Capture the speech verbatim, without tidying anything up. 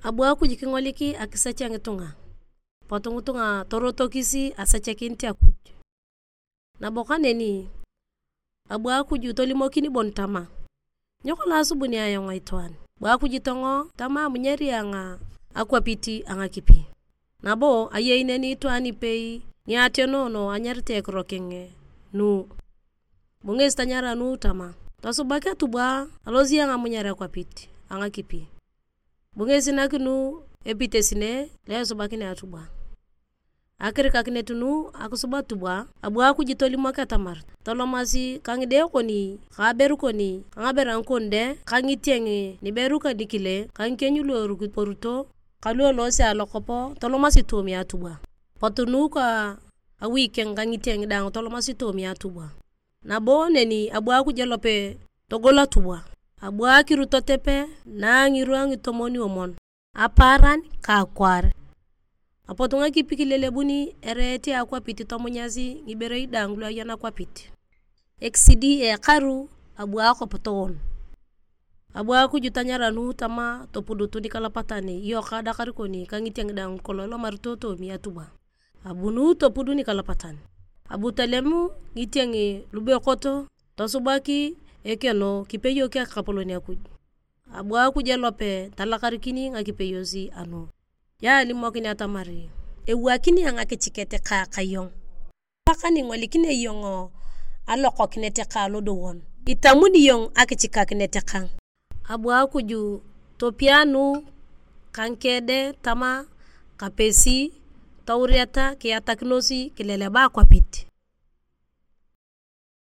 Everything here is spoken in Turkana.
Abu Akuj kingolik akisech a ngitunga, potu ngitunga torotokis asechakinit Akuj. Nabo kaneni, abu Akuj tolimokin bon tama, "Nyo kolong asubuni ayong itwaan?" Abu Akuj tongo tama, "Amunyari ayong akwapit a ngakipi." Nabo ayei neni itwaan ipei ni ationoono anyarite ekiro keng Nu. Bu ngesi tanyara Nu tama, "Tosubak atubwa, alosi ayong amunyar akwapit a ngakipi." Bu ngesi nak Nu epitesine lo esubakinea atubwa. Akirikakinet Nu akisub atubwa, abu Akuj tolimok atamar tolomasi ka ngide kon ka aberu kon ka ngabera ngikon de ka ngitieng niberu ka nikile ka ngikieny lu erukiporuto ka lu eloose alokop tolomasi toomia atubwa. Potu Nu ka awi keng ka ngitieng daang tolomasi toomia atubwa. Nabo neni abu Akuj elope togol atubwa. Abu akiru totepe na ngirwa ngitomon omon. Apaaran ka akwaar. Apot ngakipi kilelebuni ereet a akwapit tomunyasi ngiberei daang lu aya nakwapit. Ekisidi a ekaru abu akwap toon. Abu Akuj tanyara Nu tama, "Topudut nikalapatan, iyok adakar kon ka ngitieng daang kolong ilomarito toomi atubwa." Abu Nu topud nikalapatan. Abu tolem ngitieng lubekot tosubak ekeno kipeyok Ekapolon Akuj. Abu Akuj elope talakarikin ngakipeyos a Nu. Ya alimokin atamar ewakinio ngakichiket ka akayong. Pakani ingolikinio iyong alokokinet ka alodowon. Itamuni iyong akichikakinet kang. Abu Akuj topia Nu ka ngikede tama kapesi touriata kiatakinos kileleba akwapit.